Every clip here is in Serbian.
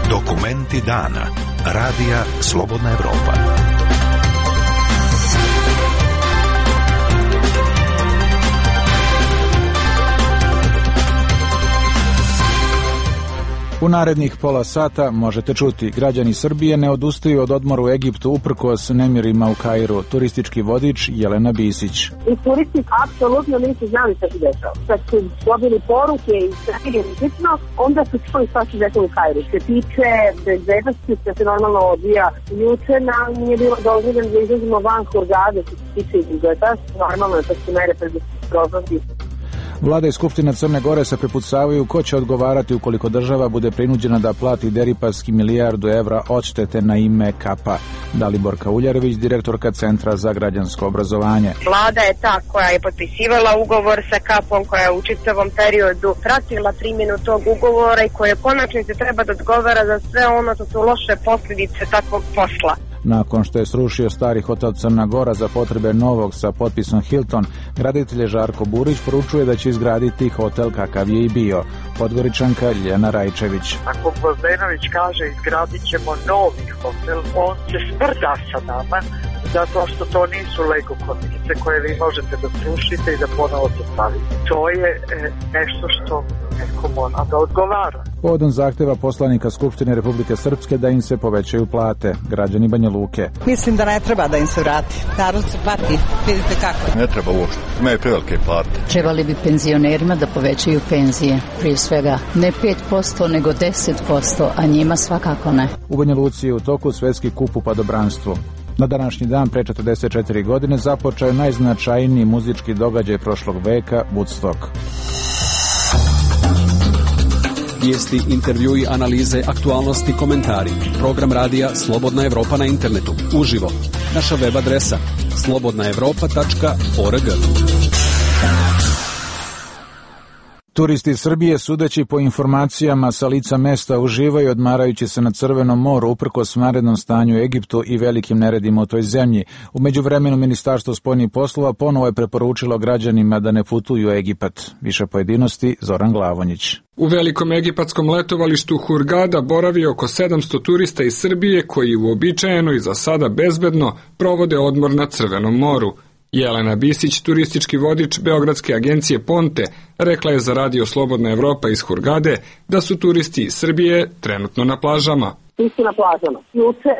Dokumenti dana. Radija Slobodna Evropa. U narednih pola sata možete čuti: građani Srbije ne odustaju od odmora u Egiptu uprkos nemirima u Kairu. Turistički vodič Jelena Bisić. I turisti apsolutno nisu znali šta se dešava. Kad su dobili poruke i sve slično, onda su čuli šta se dešava u Kairu. Što se tiče bezbednosti, što se normalno odvija juče, nam nije bilo dozvoljeno da izlazimo van Hurgade, što se tiče izgleda. Normalno je to su mere predostrožnosti. Vlada i Skupština Crne Gore se prepucavaju ko će odgovarati ukoliko država bude prinuđena da plati Deripaski milijardu evra odštete na ime Kapa. Dalibor Kauljarević, direktorka Centra za građansko obrazovanje. Vlada je ta koja je potpisivala ugovor sa Kapom, koja je u čitavom periodu pratila primjenu tog ugovora i koja konačno se treba da odgovara za sve ono što su loše posljedice takvog posla. Nakon što je srušio stari hotel Crna Gora za potrebe novog sa potpisom Hilton, graditelj Žarko Burić poručuje da će izgraditi hotel kakav je i bio. Podgoričanka Ljena Rajčević. Ako Gvozdenović kaže izgradit ćemo novi hotel, on se sprda sa nama, zato što to nisu Lego konice koje vi možete da srušite i da ponovo postavite. To je nešto što neko mora da odgovara. Povodom zahteva poslanika Skupštine Republike Srpske da im se povećaju plate. Građani Banja Luke. Mislim da ne treba da im se vrati. Narod se pati. Vidite kako. Ne treba uopšte. Imaju prevelike plate. Trebali bi penzionerima da povećaju penzije. Prije svega ne 5%, nego 10%, a njima svakako ne. U Banja Luci je u toku svetski kup u padobranstvu. Na današnji dan pre 44 godine započeo je najznačajniji muzički događaj prošlog veka, Woodstock. Vijesti, intervjui, analize, aktualnosti, komentari. Program radija Slobodna Evropa na internetu. Uživo. Naša web adresa slobodnaevropa.org. Turisti iz Srbije, sudeći po informacijama sa lica mesta, uživaju odmarajući se na Crvenom moru uprkos vanrednom stanju u Egiptu i velikim neredima u toj zemlji. U međuvremenu Ministarstvo spoljnih poslova ponovo je preporučilo građanima da ne putuju u Egipat. Više pojedinosti Zoran Glavonjić. U velikom egipatskom letovalištu Hurgada boravi oko 700 turista iz Srbije koji uobičajeno i za sada bezbedno provode odmor na Crvenom moru. Jelena Bisić, turistički vodič Beogradske agencije Ponte, rekla je za radio Slobodna Evropa iz Hurgade da su turisti iz Srbije trenutno na plažama. Isti na plažama. Juče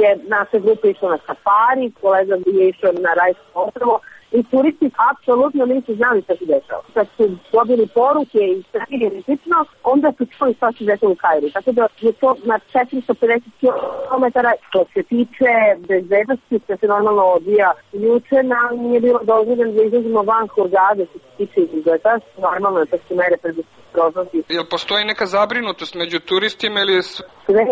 je naša grupa išla na safari, kolega je išao na rajsko ostrvo i turisti apsolutno nisu znali šta se dešava. Kad su dobili poruke i sve slično, onda su čuli šta se dešava u Kairu. Tako da je to na 450 km. Što se tiče bezbednosti, što se normalno odvija juče, nam nije bilo dozvoljeno da izlazimo van Hurgade, što se tiče izgleda. Normalno je to su mere predostrožnosti. Jel postoji neka zabrinutost među turistima ili je sve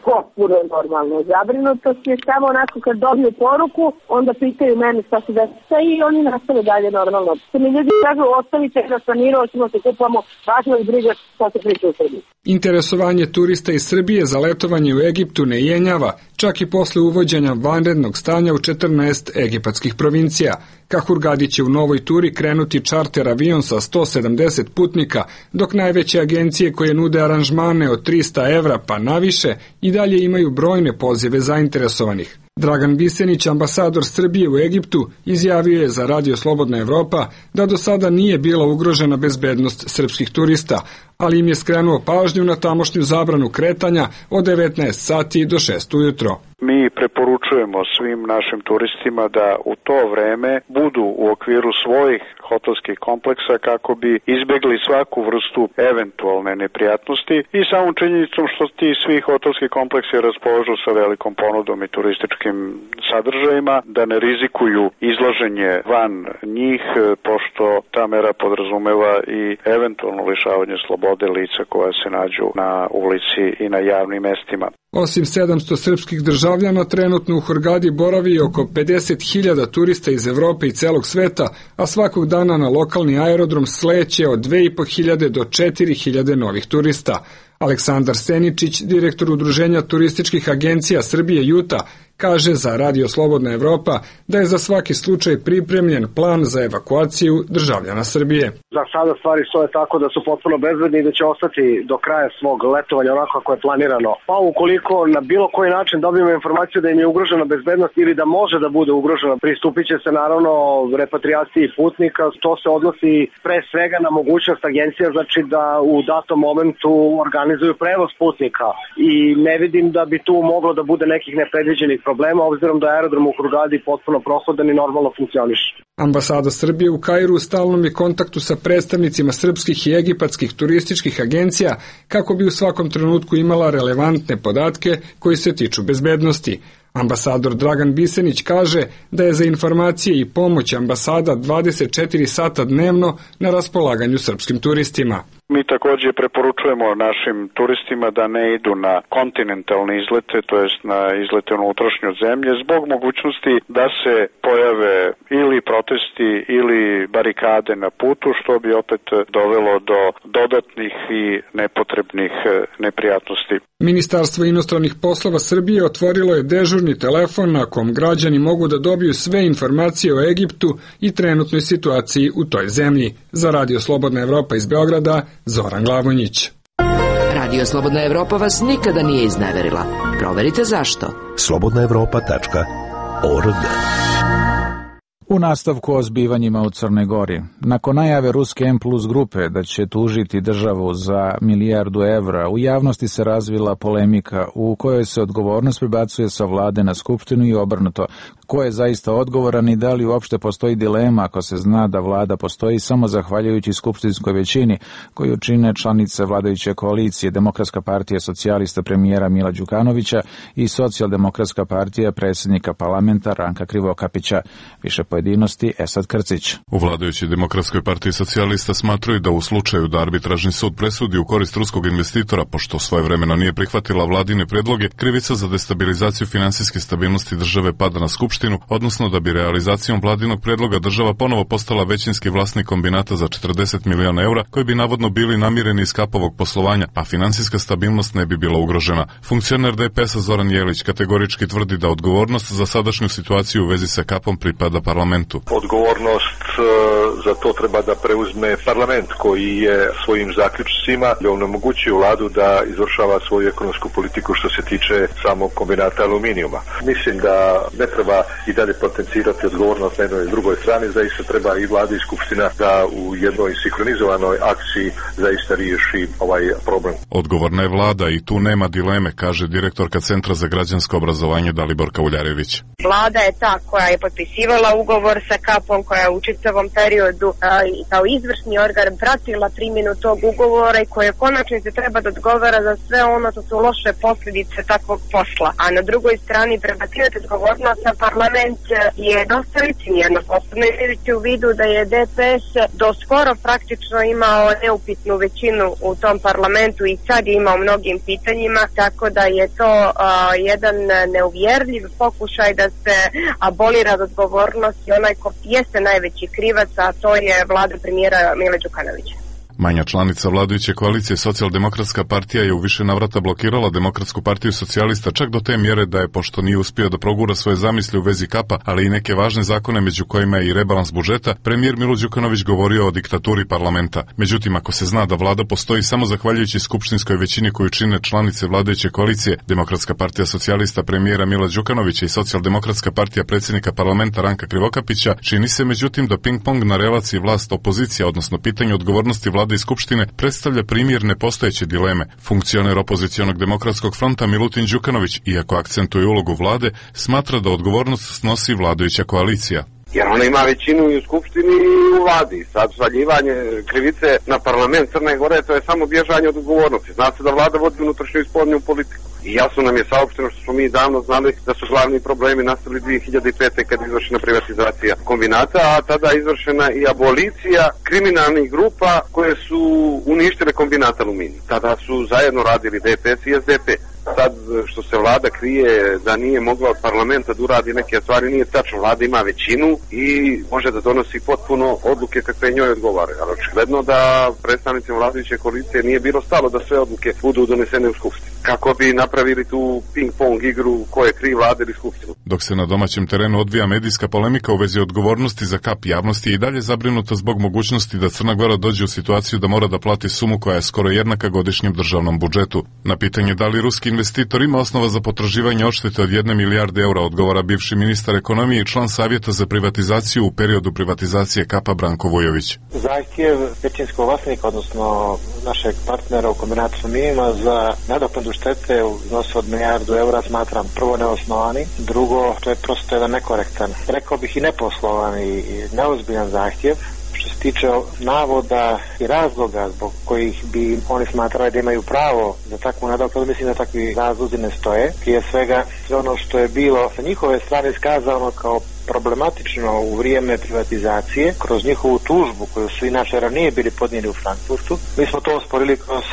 potpuno normalno. Zabrinutost je samo onako kad dobiju poruku, onda pitaju mene šta se desa i oni nastave dalje normalno. Se mi ljudi kažu, ostavite na sanirao, ćemo se kupamo, važno i briga šta se priča u Srbiji. Interesovanje turista iz Srbije za letovanje u Egiptu ne jenjava, čak i posle uvođenja vanrednog stanja u 14 egipatskih provincija. Ka Hurgadi će u novoj turi krenuti čarter avion sa 170 putnika, dok najveće agencije koje nude aranžmane od 300 evra pa naviše i dalje imaju brojne pozive zainteresovanih. Dragan Bisenić, ambasador Srbije u Egiptu, izjavio je za radio Slobodna Evropa da do sada nije bila ugrožena bezbednost srpskih turista, ali im je skrenuo pažnju na tamošnju zabranu kretanja od 19 sati do 6 ujutro. Mi preporučujemo svim našim turistima da u to vreme budu u okviru svojih hotelskih kompleksa kako bi izbegli svaku vrstu eventualne neprijatnosti i samom činjenicom što ti svi hotelski kompleksi raspolažu sa velikom ponudom i turističkim sadržajima, da ne rizikuju izlaženje van njih, pošto ta mera podrazumeva i eventualno lišavanje slobode lica koja se nađu na ulici i na javnim mestima. Osim 700 srpskih državljana, trenutno u Hurgadi boravi oko 50.000 turista iz Evrope i celog sveta, a svakog dana na lokalni aerodrom sleće od 2.500 do 4.000 novih turista. Aleksandar Seničić, direktor Udruženja turističkih agencija Srbije Juta, kaže za Radio Slobodna Evropa da je za svaki slučaj pripremljen plan za evakuaciju državljana Srbije. Za sada stvari stoje tako da su potpuno bezbedni i da će ostati do kraja svog letovanja onako kako je planirano. Pa ukoliko na bilo koji način dobijemo informaciju da im je ugrožena bezbednost ili da može da bude ugrožena, pristupit će se naravno repatriaciji putnika. To se odnosi pre svega na mogućnost agencija, znači da u datom momentu organizuju prevoz putnika i ne vidim da bi tu moglo da bude nekih nepredviđenih problema, obzirom da je aerodrom u Hurgadi potpuno prohodan i normalno funkcioniše. Ambasada Srbije u Kairu u stalnom je kontaktu sa predstavnicima srpskih i egipatskih turističkih agencija kako bi u svakom trenutku imala relevantne podatke koji se tiču bezbednosti. Ambasador Dragan Bisenić kaže da je za informacije i pomoć ambasada 24 sata dnevno na raspolaganju srpskim turistima. Mi također preporučujemo našim turistima da ne idu na kontinentalne izlete, to jest na izlete u unutrašnju zemlje, zbog mogućnosti da se pojave ili protesti ili barikade na putu, što bi opet dovelo do dodatnih i nepotrebnih neprijatnosti. Ministarstvo inostranih poslova Srbije otvorilo je dežurni telefon na kom građani mogu da dobiju sve informacije o Egiptu i trenutnoj situaciji u toj zemlji. Za Radio Slobodna Evropa iz Beograda, Zoran Glavonjić. Radio Slobodna Evropa vas nikada nije izneverila. Proverite zašto. slobodnaevropa.org. U nastavku o zbivanjima u Crnoj Gori. Nakon najave ruske M+ grupe da će tužiti državu za $1 milijardu, u javnosti se razvila polemika u kojoj se odgovornost prebacuje sa vlade na skupštinu i obrnuto. Ko je zaista odgovoran i da li uopšte postoji dilema ako se zna da vlada postoji samo zahvaljujući skupštinskoj većini koju čine članice vladajuće koalicije Demokratska partija socijalista premijera Mila Đukanovića i Socijaldemokratska partija predsjednika parlamenta Ranka Krivokapića. Više pojedinosti Esad Krcić. U vladajućoj Demokratskoj partiji socijalista smatraju da u slučaju da arbitražni sud presudi u korist ruskog investitora, pošto svojevremeno nije prihvatila vladine predloge, krivica za destabilizaciju finansijske stabilnosti države pada na skupštinu, odnosno da bi realizacijom vladinog predloga država ponovo postala većinski vlasnik kombinata za $40 miliona koji bi navodno bili namireni iz kapovog poslovanja, a finansijska stabilnost ne bi bila ugrožena. Funkcioner DPS-a Zoran Jelić kategorički tvrdi da odgovornost za sadašnju situaciju u vezi sa kapom pripada parlamentu. Odgovornost za to treba da preuzme parlament koji je svojim zaključcima onemogućio vladu da izvršava svoju ekonomsku politiku što se tiče samog kombinata aluminijuma. Mislim da ne treba i dalje potencirati odgovornost na jednoj i drugoj strani, zaista treba i vlada i skupština da u jednoj sinhronizovanoj akciji zaista riješi ovaj problem. Odgovorna je vlada i tu nema dileme, kaže direktorka Centra za građansko obrazovanje Daliborka Uljarević. Vlada je ta koja je potpisivala ugovor sa kapom, koja je u čitavom periodu kao izvršni organ pratila primjenu tog ugovora i koja konačno se treba da odgovara za sve ono što su loše posljedice takvog posla. A na drugoj strani prebacivati odgovornost na parlament je dosta licemjerno, posebno imajući u vidu da je DPS do skoro praktično imao neupitnu većinu u tom parlamentu i sad je imao mnogim pitanjima, tako da je to jedan neuvjerljiv pokušaj da se abolira od odgovornosti onaj ko jeste najveći krivac, a to je vlada premijera Mila Đukanovića. Manja članica vladajuće koalicije Socijaldemokratska partija je u više navrata blokirala Demokratsku partiju socijalista čak do te mjere da je, pošto nije uspio da progura svoje zamisli u vezi kapa, ali i neke važne zakone među kojima je i rebalans budžeta, premijer Milo Đukanović govorio o diktaturi parlamenta. Međutim, ako se zna da vlada postoji samo zahvaljujući skupštinskoj većini koju čine članice vladajuće koalicije, Demokratska partija socijalista premijera Mila Đukanovića i Socijaldemokratska partija predsjednika parlamenta Ranka Krivokapića, čini se međutim da ping-pong na relaciji vlast-opozicija, odnosno pitanje odgovornosti vlade i skupštine, predstavlja primjer nepostojeće dileme. Funkcioner opozicionog demokratskog fronta Milutin Đukanović, iako akcentuje ulogu vlade, smatra da odgovornost snosi vladajuća koalicija. Jer ona ima većinu i u skupštini i u vladi. Sad svaljivanje krivice na parlament Crne Gore, to je samo bježanje od odgovornosti. Zna se da vlada vodi unutrašnju i spoljnu politiku. I jasno nam je saopšteno što smo mi davno znali da su glavni problemi nastali 2005. kad je izvršena privatizacija kombinata, a tada je izvršena i abolicija kriminalnih grupa koje su uništile kombinat aluminija. Tada su zajedno radili DPS i SDP. Sad što se vlada krije da nije mogla od parlamenta da uradi neke stvari, nije tačno. Vlada ima većinu i može da donosi potpuno odluke kakve njoj odgovare. Ali očigledno da predstavnicima vladajuće koalicije nije bilo stalo da sve odluke budu donesene u skupštini. kako bi napravili tu ping-pong igru ko je kriv, vlada ili skupštinu. Dok se na domaćem terenu odvija medijska polemika u vezi odgovornosti za kap, javnosti je i dalje zabrinuta zbog mogućnosti da Crna Gora dođe u situaciju da mora da plati sumu koja je skoro jednaka godišnjem državnom budžetu. Na pitanje da li ruski investitor ima osnova za potraživanje odštete od 1 milijarde eura odgovara bivši ministar ekonomije i član Savjeta za privatizaciju u periodu privatizacije kapa Branko Vujović. Zahtjev većinskog vlasnika, odnosno našeg partnera u kombinatu sa minima za nadoknadu štete u iznosu od milijardu eura smatram prvo neosnovani, drugo to je prosto jedan nekorektan, rekao bih i neposlovan i neozbiljan zahtjev. Što se tiče navoda i razloga zbog kojih bi oni smatrali da imaju pravo za takvu nadoknadu, mislim da takvi razlozi ne stoje. Prije svega sve ono što je bilo sa njihove strane iskazano kao problematično u vrijeme privatizacije, kroz njihovu tužbu koju su inače ranije bili podnijeli u Frankfurtu. Mi smo to osporili kroz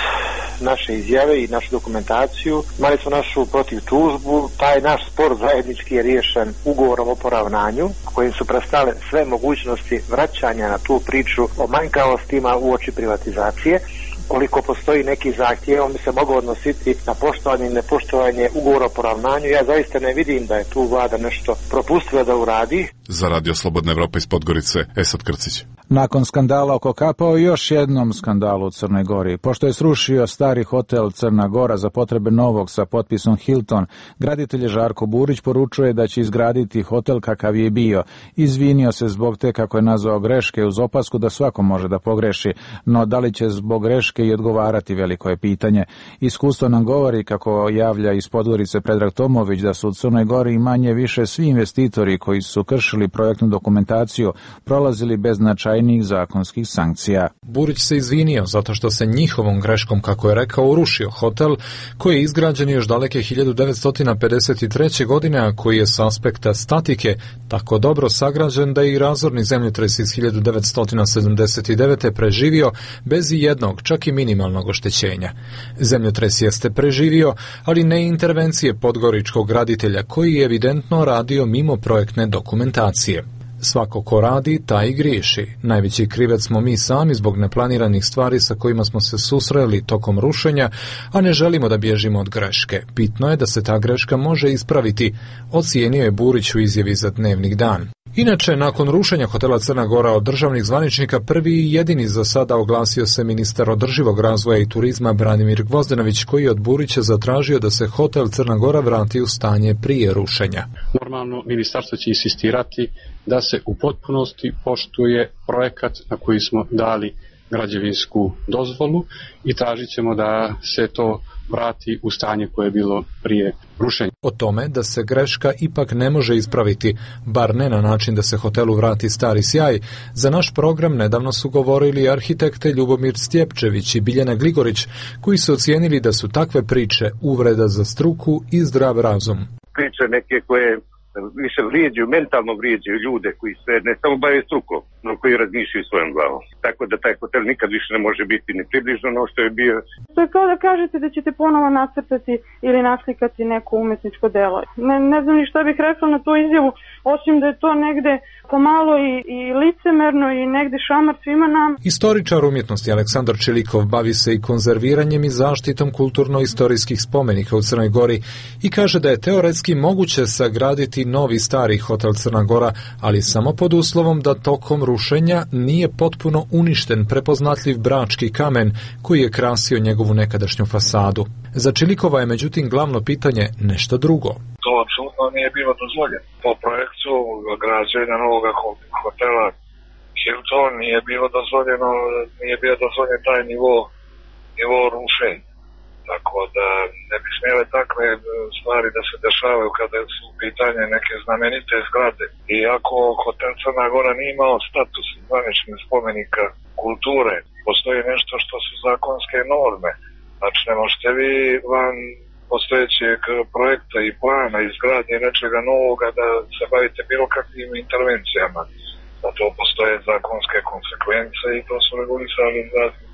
naše izjave i našu dokumentaciju. Imali smo našu protiv tužbu. Taj naš spor zajednički je riješen ugovorom o poravnanju, kojim su prestale sve mogućnosti vraćanja na tu priču o manjkavostima uoči privatizacije. Koliko postoji neki zahtjev, on bi se mogao odnositi na poštovanje i nepoštovanje ugovora o poravnanju. Ja zaista ne vidim da je tu vlada nešto propustila da uradi. Za Radio Slobodna Evropa iz Podgorice, Esad Krcić. Nakon skandala oko kapa o još jednom skandalu u Crnoj Gori. Pošto je srušio stari hotel Crna Gora za potrebe novog sa potpisom Hilton, graditelj Žarko Burić poručuje da će izgraditi hotel kakav je bio. Izvinio se zbog te, kako je nazvao, greške, uz opasku da svako može da pogreši, no da li će zbog greške i odgovarati, veliko je pitanje. Iskustvo nam govori, kako javlja iz Podgorice Predrag Tomović, da su u Crnoj Gori manje više svi investitori koji su kršili projektnu dokumentaciju prolazili bez značajnih zakonskih sankcija. Burić se izvinio zato što se njihovom greškom, kako je rekao, urušio hotel koji je izgrađen još daleke 1953. godine, a koji je s aspekta statike tako dobro sagrađen da je i razorni zemljotres iz 1979. preživio bez i jednog, čak i minimalnog oštećenja. Zemljotres jeste preživio, ali ne intervencije podgoričkog graditelja koji je evidentno radio mimo projektne dokumentacije. Svako ko radi, taj i griješi. Najveći krivec smo mi sami zbog neplaniranih stvari sa kojima smo se susreli tokom rušenja, a ne želimo da bježimo od greške. Bitno je da se ta greška može ispraviti, ocijenio je Burić u izjavi za Dnevnik Dan. Inače, nakon rušenja hotela Crna Gora od državnih zvaničnika, prvi i jedini za sada oglasio se ministar održivog razvoja i turizma Branimir Gvozdenović, koji je od Burića zatražio da se hotel Crna Gora vrati u stanje prije rušenja. Normalno, ministarstvo će insistirati da se u potpunosti poštuje projekat na koji smo dali građevinsku dozvolu i tražit ćemo da se to vrati u stanje koje je bilo prije rušenja. O tome da se greška ipak ne može ispraviti, bar ne na način da se hotelu vrati stari sjaj, za naš program nedavno su govorili arhitekte Ljubomir Stjepčević i Biljana Gligorić, koji su ocijenili da su takve priče uvreda za struku i zdrav razum. Priče neke koje više vrijeđaju, mentalno vrijeđaju ljude koji se ne samo bave strukom, no koji razmišljaju svojom glavom. Tako da taj hotel nikad više ne može biti ni približno ono što je bio. To je kao da kažete da ćete ponovo nacrtati ili naslikati neko umetničko delo. Ne znam ni šta bih rekla na tu izjavu, osim da je to negde pomalo i licemerno i negde šamar svima nam. Istoričar umjetnosti Aleksandar Čilikov bavi se i konzerviranjem i zaštitom kulturno-istorijskih spomenika u Crnoj Gori i kaže da je teoretski moguće sagraditi novi stari hotel Crna Gora, ali samo pod uslovom da tokom rušenja nije potpuno uništen prepoznatljiv brački kamen koji je krasio njegovu nekadašnju fasadu. Za Čilikova je međutim glavno pitanje nešto drugo. To apsolutno nije bilo dozvoljeno. Po projektu građenja novog hotela Hilton nije bio dozvoljen taj nivo rušenja. Tako da ne bi smjele takve stvari da se dešavaju kada su u pitanje neke znamenite zgrade. Iako hotel Crna Gora nije imao status zvaničnih spomenika kulture, postoji nešto što su zakonske norme. Znači ne možete vi van postojećeg projekta i plana izgradnje nečega novoga da se bavite bilo kakvim intervencijama. Da to postoje zakonske konsekvence i to su regulisali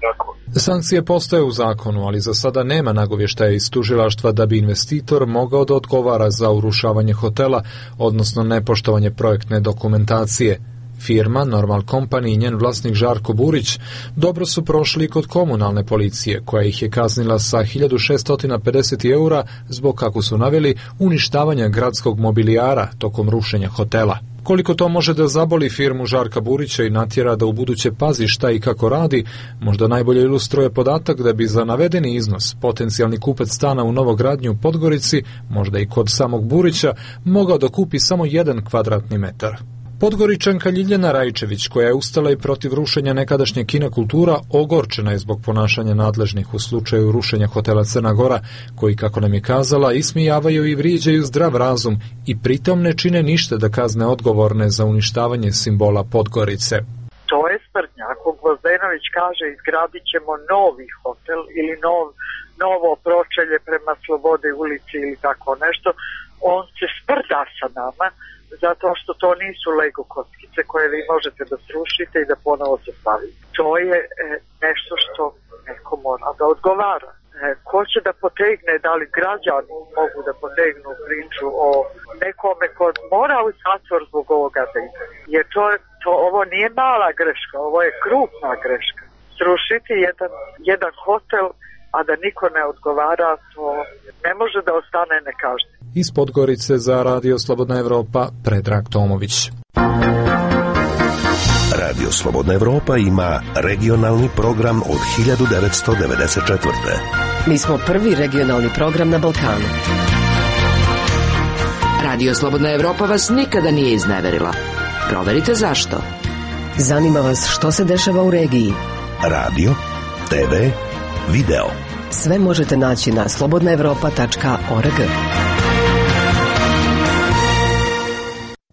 tako. Sankcije postoje u zakonu, ali za sada nema nagovještaja iz tužilaštva da bi investitor mogao da odgovara za urušavanje hotela, odnosno nepoštovanje projektne dokumentacije. Firma Normal Company i njen vlasnik Žarko Burić dobro su prošli kod komunalne policije, koja ih je kaznila sa 1650 eura zbog, kako su naveli, uništavanja gradskog mobilijara tokom rušenja hotela. Koliko to može da zaboli firmu Žarka Burića i natjera da ubuduće pazi šta i kako radi, možda najbolje ilustruje podatak da bi za navedeni iznos potencijalni kupac stana u Novogradnju u Podgorici, možda i kod samog Burića, mogao da kupi samo 1 kvadratni metar. Podgoričanka Ljiljana Rajčević, koja je ustala i protiv rušenja nekadašnje Kina Kultura, ogorčena je zbog ponašanja nadležnih u slučaju rušenja hotela Crna Gora, koji, kako nam je kazala, ismijavaju i vrijeđaju zdrav razum i pritom ne čine ništa da kazne odgovorne za uništavanje simbola Podgorice. To je sprdnja. Ako Gvozdenović kaže izgradit ćemo novi hotel ili novo pročelje prema Slobode ulici ili tako nešto, on se sprda sa nama, zato što to nisu Lego kockice koje vi možete da srušite i da ponovo sastavite. To je nešto što neko mora da odgovara. Ko će da potegne, da li građani mogu da potegnu priču o nekome ko mora u zatvor zbog ovoga dejta? Jer ovo nije mala greška, ovo je krupna greška. Srušiti jedan hotel, a da niko ne odgovara, to ne može da ostane nekažnjeno. Iz Podgorice za Radio Slobodna Evropa, Predrag Tomović. Radio Slobodna Evropa ima regionalni program od 1994. Mi smo prvi regionalni program na Balkanu. Radio Slobodna Evropa vas nikada nije izneverila. Proverite zašto. Zanima vas što se dešava u regiji. Radio, TV, video. Sve možete naći na slobodnaevropa.org.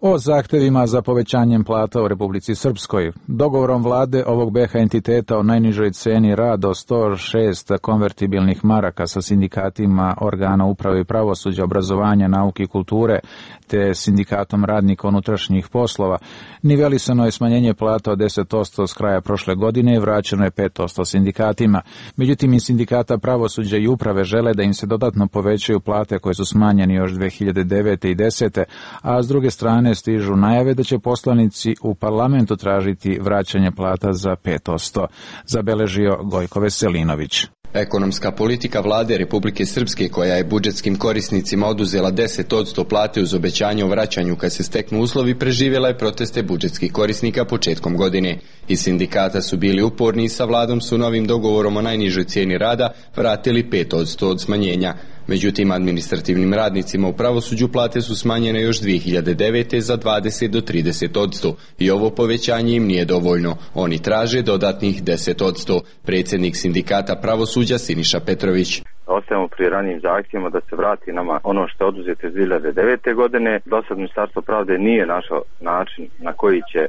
O zahtevima za povećanjem plata u Republici Srpskoj. Dogovorom vlade ovog BH entiteta o najnižoj ceni rada o 106 konvertibilnih maraka sa sindikatima organa uprave i pravosuđa, obrazovanja, nauke i kulture te sindikatom radnika unutrašnjih poslova, nivelisano je smanjenje plata od 10% s kraja prošle godine i vraćeno je 5% sindikatima. Međutim, iz sindikata pravosuđa i uprave žele da im se dodatno povećaju plate koje su smanjene još 2009. i 2010. A s druge strane stižu najave da će poslanici u parlamentu tražiti vraćanje plata za 5%, zabeležio Gojko Veselinović. Ekonomska politika vlade Republike Srpske, koja je budžetskim korisnicima oduzela 10% plate uz obećanje o vraćanju kad se steknu uslovi, preživjela je proteste budžetskih korisnika početkom godine. Iz sindikata su bili uporni i sa vladom su novim dogovorom o najnižoj cijeni rada vratili 5% od smanjenja. Međutim, administrativnim radnicima u pravosuđu plate su smanjene još 2009. za 20 do 30% i ovo povećanje im nije dovoljno. Oni traže dodatnih 10%. Predsjednik sindikata pravosuđa Siniša Petrović. Ostajemo pri ranijim zahtjevima da se vrati nama ono što je oduzeto iz 2009. godine. Dosad Ministarstvo pravde nije našao način na koji će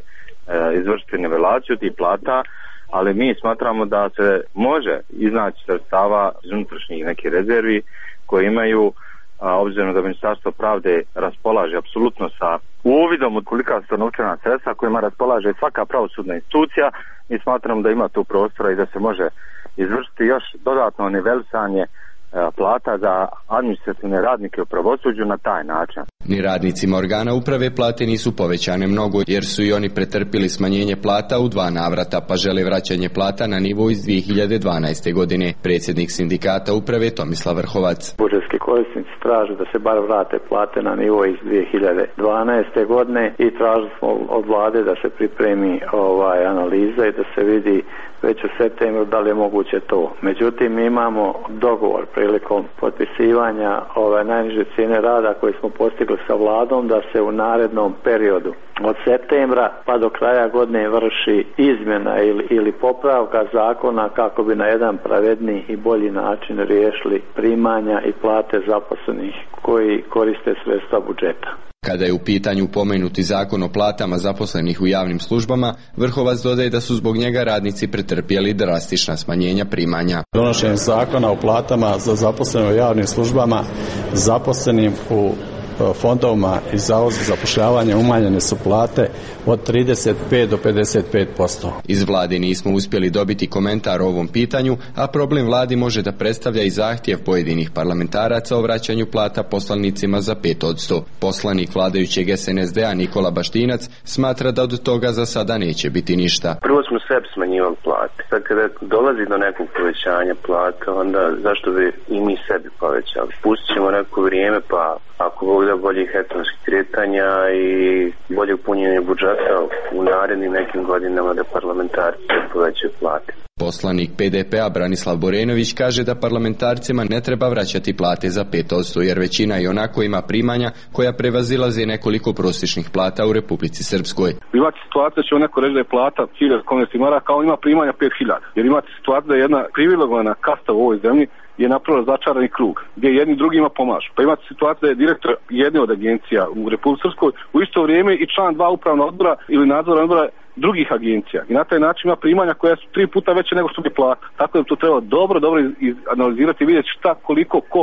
izvršiti nivelaciju tih plata, ali mi smatramo da se može iznaći sredstava iz unutrašnjih nekih rezervi koje imaju, obzirom da Ministarstvo pravde raspolaže apsolutno sa uvidom od kolika su novčana sredstva kojima raspolaže svaka pravosudna institucija, mi smatramo da ima tu prostora i da se može izvršiti još dodatno nivelisanje plata za administrativne radnike u pravosuđu na taj način. Ni radnicima organa uprave plate nisu povećane mnogo, jer su i oni pretrpili smanjenje plata u 2 navrata, pa žele vraćanje plata na nivo iz 2012. godine. Predsjednik sindikata uprave Tomislav Vrhovac. Budžetski korisnici traže da se bar vrate plate na nivo iz 2012. godine i tražili smo od vlade da se pripremi analiza i da se vidi već u septembru da li je moguće to. Međutim, mi imamo dogovor prilikom potpisivanja najniže cijene rada koji smo postigli sa vladom da se u narednom periodu od septembra pa do kraja godine vrši izmjena ili popravka zakona kako bi na jedan pravedniji i bolji način riješili primanja i plate zaposlenih koji koriste sredstva budžeta. Kada je u pitanju pomenuti zakon o platama zaposlenih u javnim službama, Vrhovac dodaje da su zbog njega radnici pretrpjeli drastična smanjenja primanja. Donošenjem zakona o platama za zaposlene u javnim službama, zaposlenim u fondovima i Zavodu za zapošljavanje umanjene su plate od 35 do 55%. Iz vlade nismo uspjeli dobiti komentar o ovom pitanju, a problem vladi može da predstavlja i zahtjev pojedinih parlamentaraca o vraćanju plata poslanicima za 5%. Poslanik vladajućeg SNSD-a Nikola Baštinac smatra da od toga za sada neće biti ništa. Prvo smo sebi smanjivali plate. Sad kada dolazi do nekog povećanja plata, onda zašto bi i mi sebi povećali? Pustit ćemo neko vrijeme, pa ako Bog da boljih ekonomskih kretanja i boljeg punjenja budžeta u narednim nekim godinama da parlamentarci povećaju plate. Poslanik PDP-a Branislav Borenović kaže da parlamentarcima ne treba vraćati plate za 5%, jer većina i onako ima primanja koja prevazilaze nekoliko prosječnih plata u Republici Srpskoj. Imate situaciju da će neko reći da je plata 1000 konvertnih maraka, kao ima primanja 5000. Jer imate situaciju da je jedna privilegovana kasta u ovoj zemlji je napravila začarani krug, gdje jedni drugima pomažu. Pa imate situaciju da je direktor jedne od agencija u Republici Srpskoj u isto vrijeme i član 2 upravnog odbora ili nadzornog odbora drugih agencija. I na taj način ima primanja koja su 3 puta veće nego što bi plata. Tako da to treba dobro analizirati i vidjeti šta koliko ko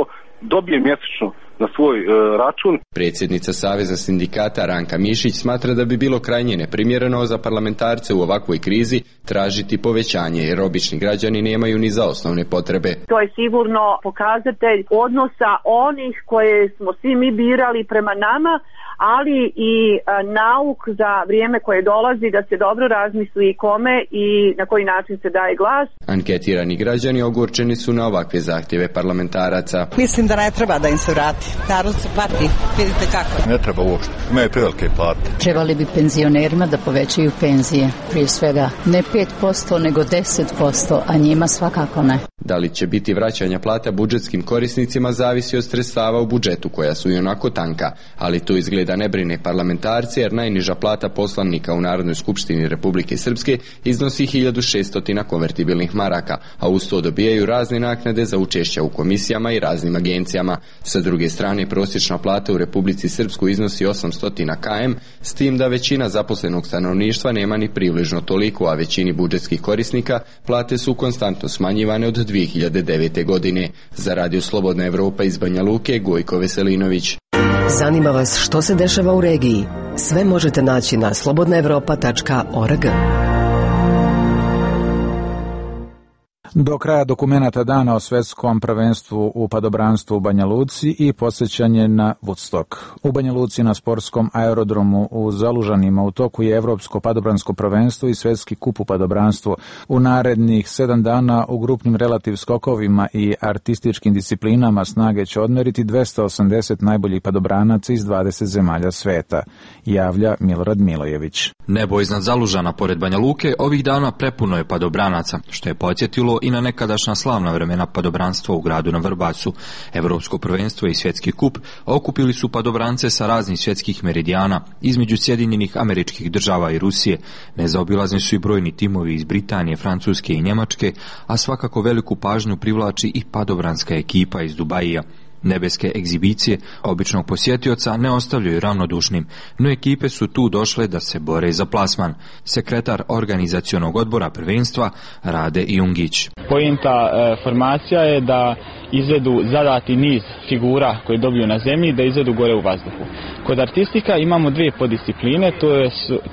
dobije mjesečno na svoj račun. Predsjednica Saveza sindikata Ranka Mišić smatra da bi bilo krajnje neprimjereno za parlamentarce u ovakvoj krizi tražiti povećanje, jer obični građani nemaju ni za osnovne potrebe. To je sigurno pokazatelj odnosa onih koje smo svi mi birali prema nama, ali i nauk za vrijeme koje dolazi da se dobro razmisli kome i na koji način se daje glas. Anketirani građani ogorčeni su na ovakve zahtjeve parlamentaraca. Mislim da ne treba da im se vrati. Narod se pati, vidite kako. Ne treba uopšte, imaju prevelike plate. Trebali bi penzionerima da povećaju penzije, prije svega ne 5%, nego 10%, a njima svakako ne. Da li će biti vraćanja plata budžetskim korisnicima zavisi od sredstava u budžetu koja su i onako tanka, ali to izgleda ne brine parlamentarci, jer najniža plata poslanika u Narodnoj skupštini Republike Srpske iznosi 1600 konvertibilnih maraka, a uz to dobijaju razne naknade za učešća u komisijama i raznim agencijama. Sa druge strane, prosječna plata u Republici Srpskoj iznosi 800 km, s tim da većina zaposlenog stanovništva nema ni približno toliko, a većini budžetskih korisnika plate su konstantno smanjivane od 2009. godine. Za Radio Slobodna Evropa iz Banja Luke, Gojko Veselinović. Zanima vas što se dešava u regiji? Sve možete naći na slobodnaevropa.org. Do kraja dokumenata dana o svetskom prvenstvu u padobranstvu u Banja Luci i posjećanje na Woodstock. U Banja Luci na sportskom aerodromu u Zalužanima u toku je Evropsko padobransko prvenstvo i svetski kup u padobranstvu. U narednih 7 dana u grupnim relativ skokovima i artističkim disciplinama snage će odmeriti 280 najboljih padobranaca iz 20 zemalja sveta, javlja Milorad Milojević. Nebo iznad Zalužana pored Banja Luke ovih dana prepuno je padobranaca, što je podsjetilo i na nekadašnja slavna vremena padobranstva u gradu na Vrbasu. Evropsko prvenstvo i svjetski kup okupili su padobrance sa raznih svjetskih meridijana između Sjedinjenih Američkih Država i Rusije. Nezaobilazni su i brojni timovi iz Britanije, Francuske i Njemačke, a svakako veliku pažnju privlači i padobranska ekipa iz Dubaija. Nebeske egzibicije običnog posjetioca ne ostavljaju ravnodušnim, no ekipe su tu došle da se bore za plasman. Sekretar organizacionog odbora prvenstva Rade Jungić. Poenta formacija je da izvedu zadati niz figura koje dobiju na zemlji, da izvedu gore u vazduhu. Kod artistika imamo 2 poddiscipline,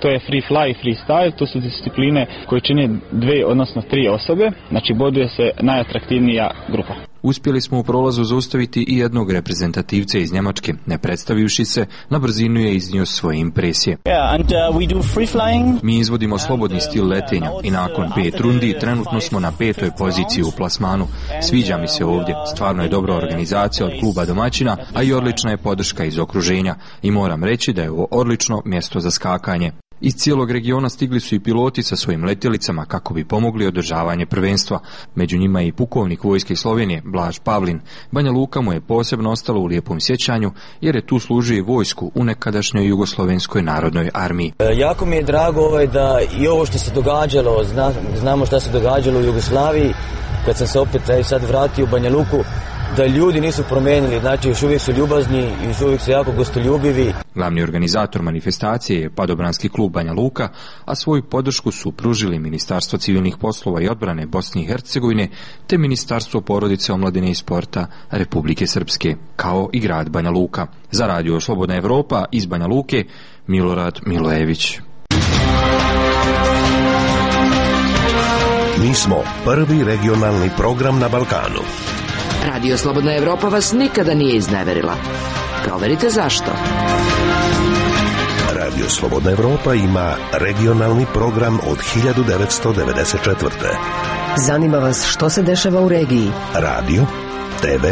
to je free fly i freestyle, to su discipline koje čine 2 odnosno 3 osobe, znači boduje se najatraktivnija grupa. Uspjeli smo u prolazu zaustaviti i jednog reprezentativca iz Njemačke. Ne predstavivši se, na brzinu je iznio svoje impresije. Mi izvodimo slobodni stil letenja i nakon 5 rundi trenutno smo na 5. poziciji u plasmanu. Sviđa mi se ovdje, stvarno je dobra organizacija od kluba domaćina, a i odlična je podrška iz okruženja. I moram reći da je ovo odlično mjesto za skakanje. Iz cijelog regiona stigli su i piloti sa svojim letjelicama kako bi pomogli održavanje prvenstva. Među njima je i pukovnik Vojske Slovenije, Blaž Pavlin. Banja Luka mu je posebno ostalo u lijepom sjećanju jer je tu služio i vojsku u nekadašnjoj Jugoslovenskoj narodnoj armiji. Jako mi je drago da i ovo što se događalo, znamo što se događalo u Jugoslaviji, kad sam se opet sad vratio u Banja Luku, da ljudi nisu promenili, znači još uvijek su ljubazni i još uvijek su jako gostoljubivi. Glavni organizator manifestacije je Padobranski klub Banja Luka, a svoju podršku su pružili Ministarstvo civilnih poslova i odbrane Bosne i Hercegovine te Ministarstvo porodice, omladine i sporta Republike Srpske, kao i grad Banja Luka. Za Radio Slobodna Evropa iz Banja Luke, Milorad Milojević. Mi smo prvi regionalni program na Balkanu. Radio Slobodna Evropa vas nikada nije izneverila. Proverite zašto. Radio Slobodna Evropa ima regionalni program od 1994. Zanima vas što se dešava u regiji? Radio, TV,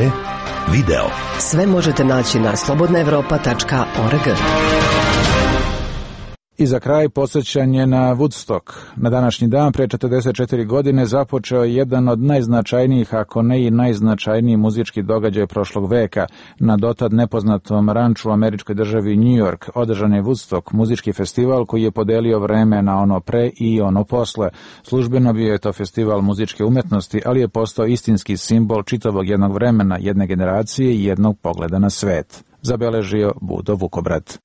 video. Sve možete naći na slobodnaevropa.org. I za kraj podsjećanje na Woodstock. Na današnji dan, pre 44 godine, započeo je jedan od najznačajnijih, ako ne i najznačajniji muzički događaj prošlog veka. Na dotad nepoznatom ranču u američkoj državi New York održan je Woodstock, muzički festival koji je podelio vreme na ono pre i ono posle. Službeno bio je to festival muzičke umetnosti, ali je postao istinski simbol čitavog jednog vremena, jedne generacije i jednog pogleda na svet. Zabeležio Budo Vukobrat.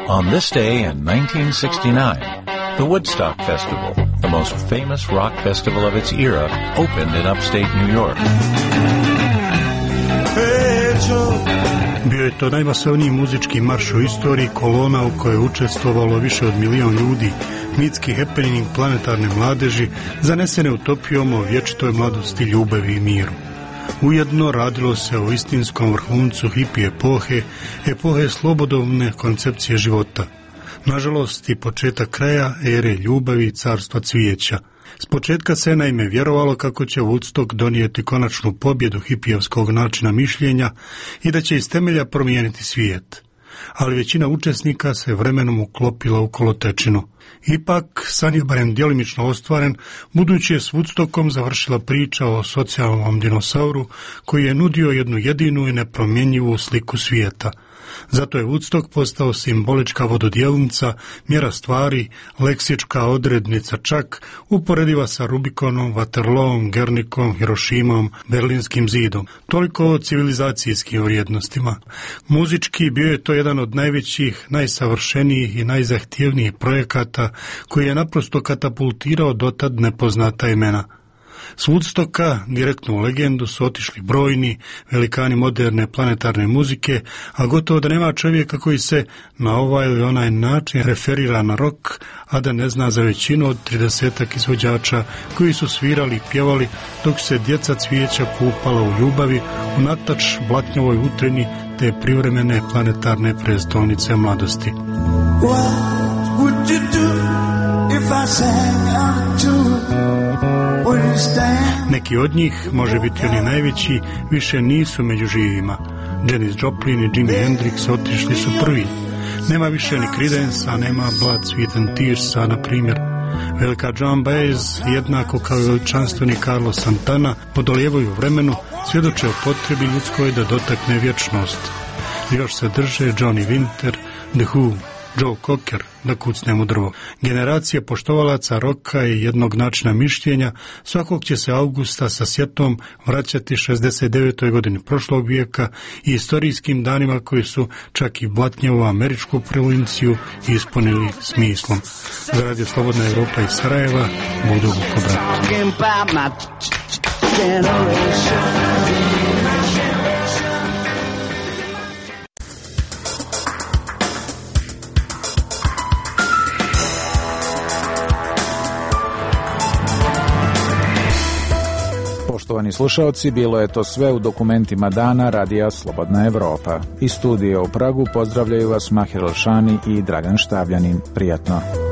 On this day in 1969, the Woodstock Festival, the most famous rock festival of its era, opened in upstate New York. Bio je to najmasovniji muzički marš u istoriji, kolona u kojoj je učestvovalo više od 1 milion ljudi, mitski happening planetarne mladeži, zanesene utopijom o vječitoj mladosti, ljubavi i miru. Ujedno radilo se o istinskom vrhuncu hippie epohe slobodovne koncepcije života. Nažalost i početak kraja ere ljubavi i carstva cvijeća. S početka se naime vjerovalo kako će Woodstock donijeti konačnu pobjedu hipijevskog načina mišljenja i da će iz temelja promijeniti svijet. Ali većina učesnika se vremenom uklopila u kolotečinu. Ipak, san je barem djelimično ostvaren, budući je s Woodstockom završila priča o socijalnom dinosauru koji je nudio jednu jedinu i nepromjenjivu sliku svijeta. Zato je Woodstock postao simbolička vododjelnica, mjera stvari, leksička odrednica čak, uporediva sa Rubikonom, Waterloom, Gernikom, Hirošimom, Berlinskim zidom. Toliko o civilizacijskim vrijednostima. Muzički bio je to jedan od najvećih, najsavršenijih i najzahtjevnijih projekata koji je naprosto katapultirao dotad nepoznata imena. S Woodstocka direktno u legendu su otišli brojni velikani moderne planetarne muzike, a gotovo da nema čovjeka koji se na ovaj ili onaj način referira na rock, a da ne zna za većinu od 30-ak izvođača koji su svirali i pjevali dok se djeca cvijeća kupala u ljubavi u natač blatnjovoj utreni te privremene planetarne prestolnice mladosti. What would you do if I sang out to Neki od njih, može biti oni najveći, više nisu među živima. Janis Joplin i Jimi Hendrix otišli su prvi. Nema više ni Creedence-a, nema Blood, Sweat and Tears-a, na primjer. Velika Joan Baez, jednako kao i veličanstveni Carlos Santana, podolijevaju vremenu, svjedoče o potrebi ljudskoj da dotakne vječnost. Još se drže Johnny Winter, The Who, Joe Cocker, da kucnemo drvo. Generacija poštovalaca roka i jednog načina mišljenja svakog će se avgusta sa sjetom vraćati 69. godini prošlog vijeka i istorijskim danima koji su čak i blatnjevu američku provinciju ispunili smislom. Za Radio Slobodna Evropa iz Sarajeva, Budo Vukobrat. Poštovani slušaoci, bilo je to sve u dokumentima dana Radija Slobodna Evropa. Iz studija u Pragu pozdravljaju vas Mahir Elšani i Dragan Štavljanin. Prijatno.